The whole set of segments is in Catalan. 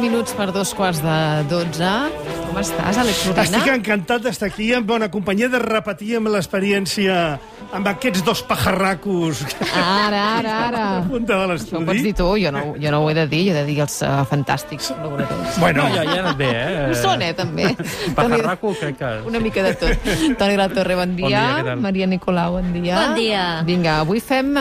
Minuts per 2:15. Com estàs, Àlex Urbina? Estic encantat d'estar aquí en bona companyia, de repetir amb l'experiència amb aquests dos pajarracos. Ara. A punta de Això l'estudi. ho pots dir tu, jo no ho he de dir, jo he de dir els fantàstics col·laboradors. Bueno, Ja ha anat bé, Ho són, també. Pajarraco, crec que... Una mica de tot. Toni Latorre, bon dia. Bon dia, què tal? Maria Nicolau, bon dia. Bon dia. Vinga, avui fem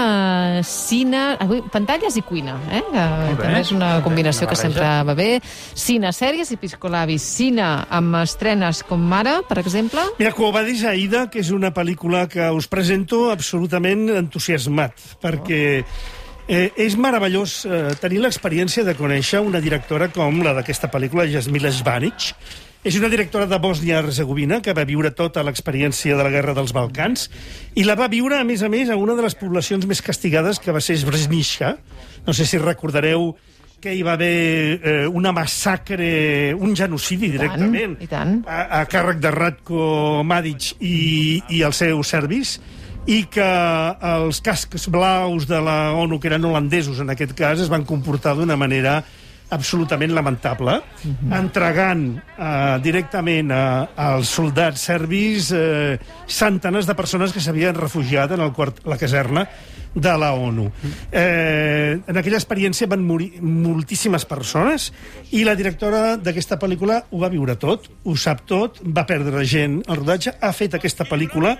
cine... Avui, pantalles i cuina, eh? També és una combinació que sempre va bé. Cine, sèries i piscolabis. Cine amb estrenes com Mare, per exemple. mira, Quo Vadis Aida, que és una pel·lícula que us presento absolutament entusiasmat, perquè és meravellós tenir l'experiència de conèixer una directora com la d'aquesta pel·lícula, Jasmila Žbanić. És una directora de Bòsnia-Herzegovina que va viure tota l'experiència de la Guerra dels Balcans i la va viure, a més, a una de les poblacions més castigades, que va ser Srebrenica. No sé si recordareu que hi va haver una massacre, un genocidi directament, I tant. a càrrec de Ratko Mladić i els seus serbis, i que els cascs blaus de la ONU, que eren holandesos en aquest cas, es van comportar d'una manera absolutament lamentable, entregant directament als soldats serbis centenars de persones que s'havien refugiat en la caserna de la ONU. En aquella experiència van morir moltíssimes persones i la directora d'aquesta pel·lícula ho va viure tot, ho sap tot, va perdre gent al rodatge, ha fet aquesta pel·lícula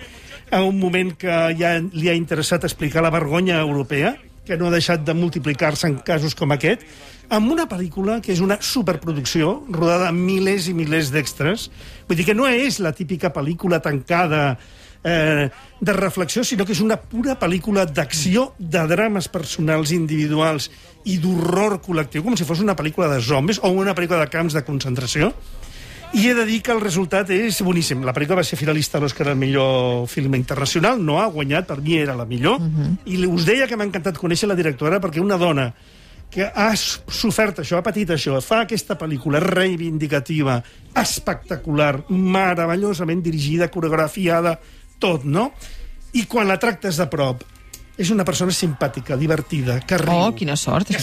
en un moment que ja li ha interessat explicar la vergonya europea, que no ha deixat de multiplicar-se en casos com aquest, amb una pel·lícula que és una superproducció, rodada amb milers i milers d'extras. Vull dir que no és la típica pel·lícula tancada de reflexió, sinó que és una pura pel·lícula d'acció, de drames personals individuals i d'horror col·lectiu, com si fos una pel·lícula de zombis o una pel·lícula de camps de concentració. I he de dir que el resultat és boníssim. La pel·lícula va ser finalista a l'Oscar al millor film internacional, no ha guanyat, per mi era la millor, i us deia que m'ha encantat conèixer la directora, perquè una dona que ha sofert això, ha patit això, fa aquesta pel·lícula reivindicativa, espectacular, meravellosament dirigida, coreografiada, tot, no? I quan la tractes de prop, és una persona simpàtica, divertida, que riu. Oh, quina sort. Que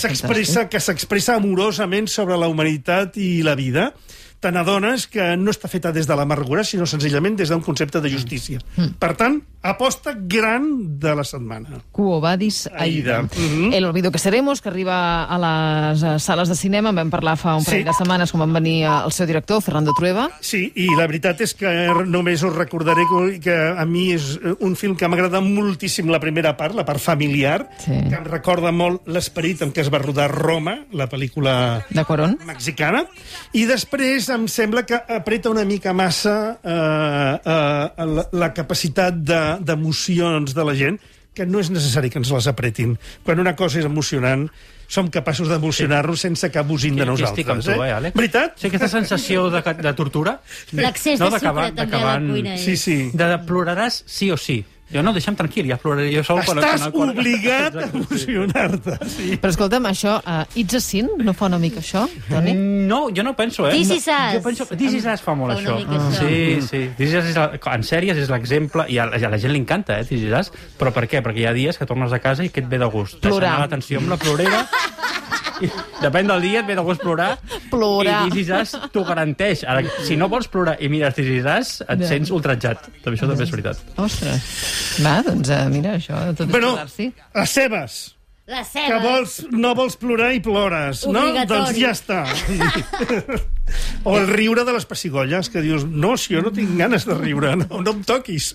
s'expressa amorosament sobre la humanitat i la vida. Te n'adones que no està feta des de l'amargura, sinó senzillament des d'un concepte de justícia. Per tant, aposta gran de la setmana. Quo Vadis Aida. Aida. El olvido que seremos, que arriba a les sales de cinema. En vam parlar fa un parell de setmanes quan van venir el seu director, Fernando Trueba. Sí, i la veritat és que només us recordaré que a mi és un film que m'agrada moltíssim la primera part, la part familiar, que em recorda molt l'esperit en què es va rodar Roma, la pel·lícula de Cuarón mexicana, i després em sembla que apreta una mica massa la capacitat d'emocions de la gent, que no és necessari que ens les apretin. Quan una cosa és emocionant, som capaços d'emocionar-nos sense que abusin de nosaltres. Estic amb tu, Àlex? Veritat? Sí, aquesta sensació de tortura. L'accés de sucre també a la cuina. Sí. De ploraràs sí o sí. Jo no, deixa'm tranquil, ja ploraré jo sol. Estàs obligat a emocionar-te. Sí. Però escolta'm, això, It's a Sin, no fa una mica això, Toni? No, jo no penso, This Is Us. Jo penso, This Is Us fa molt Fa una això. mica això. Sí. This Is Us en sèries és l'exemple, i a la gent li encanta, This Is Us, però per què? Perquè hi ha dies que tornes a casa i que et ve de gust. Plorar. Deixar anar l'atenció amb la plorera. I, depèn del dia, et ve de gust plorar. Plorar. I This Is Us t'ho garanteix. Ara, si no vols plorar i mires This Is Us, et sents ultratjat. Això també és veritat. Ostres. Va, doncs mira, això, tot és Bueno, posar-s'hi. les seves. Les Que cebes. no vols plorar i plores, no? Obligatori. Doncs ja està. O el riure de les pessigolles, que dius, no, si jo no tinc ganes de riure, no em toquis.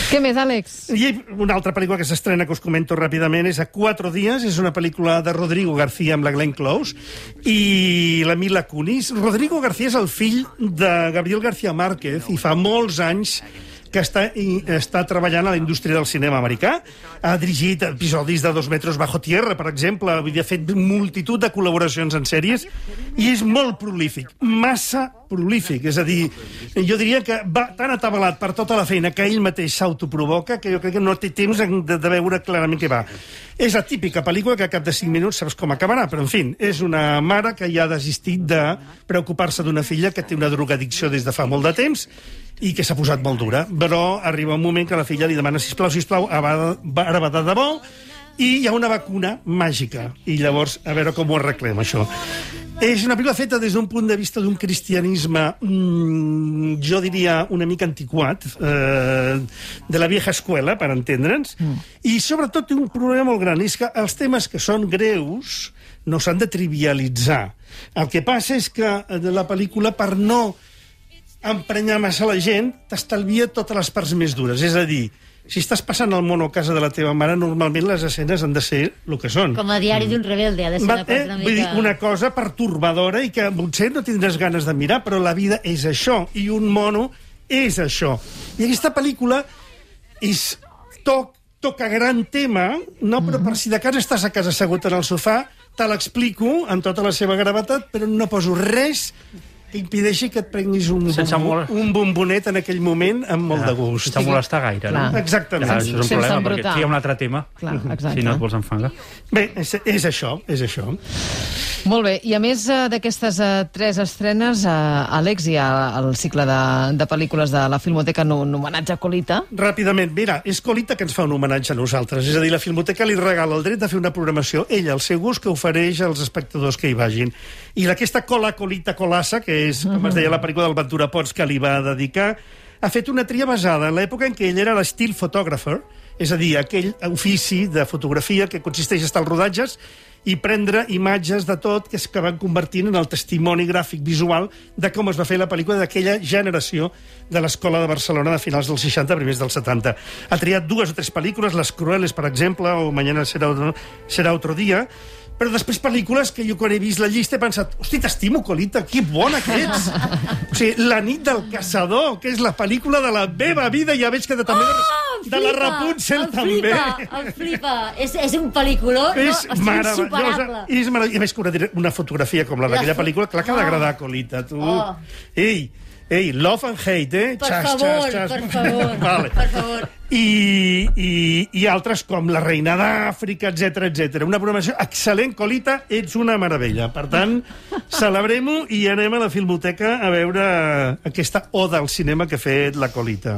Què més, Àlex? I una altra pel·lícula que s'estrena, que us comento ràpidament, és A 4 dies, és una pel·lícula de Rodrigo García amb la Glenn Close i la Mila Kunis. Rodrigo García és el fill de Gabriel García Márquez i fa molts anys que està treballant a la indústria del cinema americà. Ha dirigit episodis de 2 metres bajo tierra, per exemple, ha fet multitud de col·laboracions en sèries, i és molt prolífic, massa prolífic. És a dir, jo diria que va tan atabalat per tota la feina que ell mateix s'autoprovoca que jo crec que no té temps de veure clarament què va. És la típica pel·lícula que a cap de 5 minuts saps com acabarà, però, en fi, és una mare que ja ha desistit de preocupar-se d'una filla que té una drogadicció des de fa molt de temps i que s'ha posat molt dura. Però arriba un moment que la filla li demana sisplau, ara va de debò, i hi ha una vacuna màgica. I llavors, a veure com ho arreglem, això. És una pel·lícula feta des d'un punt de vista d'un cristianisme, jo diria, una mica antiquat, de la vieja escuela, per entendre'ns, i sobretot té un problema molt gran, és que els temes que són greus no s'han de trivialitzar. El que passa és que la pel·lícula, per no emprenyar massa la gent, t'estalvia totes les parts més dures. És a dir, si estàs passant el mono a casa de la teva mare, normalment les escenes han de ser el que són. Com a diari d'un rebelde, ha de ser una cosa una mica... Vull dir, una cosa pertorbadora i que potser no tindràs ganes de mirar, però la vida és això, i un mono és això. I aquesta pel·lícula toca gran tema, no? Però per si de cas estàs a casa assegut en el sofà, te l'explico amb tota la seva gravetat, però no poso res que impedeixi que et prenguis un bombonet en aquell moment amb molt de gust. Sense molestar gaire, no? Exactament. Ja, això és un problema, perquè et tria un altre tema. Clar, exacte. Si no et vols enfangar. Bé, és això, és això. Molt bé, i a més d'aquestes 3 estrenes, Àlex, hi ha el cicle de pel·lícules de la Filmoteca en un homenatge a Colita. Ràpidament, mira, és Colita que ens fa un homenatge a nosaltres. És a dir, la Filmoteca li regala el dret de fer una programació, ella, al seu gust, que ofereix als espectadors que hi vagin. I aquesta Colita Colassa, que és, com es deia la pel·lícula del Ventura Pons, que li va dedicar, ha fet una tria basada en l'època en què ell era l'still photographer, és a dir, aquell ofici de fotografia que consisteix a estar als rodatges i prendre imatges de tot que van convertint en el testimoni gràfic visual de com es va fer la pel·lícula d'aquella generació de l'Escola de Barcelona de finals dels 60, primers dels 70. Ha triat 2 o 3 pel·lícules, Les Crueles, per exemple, o Mañana será otro día, però després pel·lícules que jo quan he vist la llista he pensat, hosti, t'estimo, Colita, que bona que ets. O sigui, La nit del caçador, que és la pel·lícula de la meva vida, ja veig que també de la Rapunzel també. Em flipa, és un pel·lículó, és insuperable. És meravellós. I a més que una fotografia com la d'aquella pel·lícula, clar que ha d'agradar, Colita, tu. Ei, love and hate, eh? Per favor. Vale. Per favor. I altres com La reina d'Àfrica, etc. Una programació excel·lent, Colita, ets una meravella. Per tant, celebrem-ho i anem a la Filmoteca a veure aquesta oda al cinema que ha fet la Colita.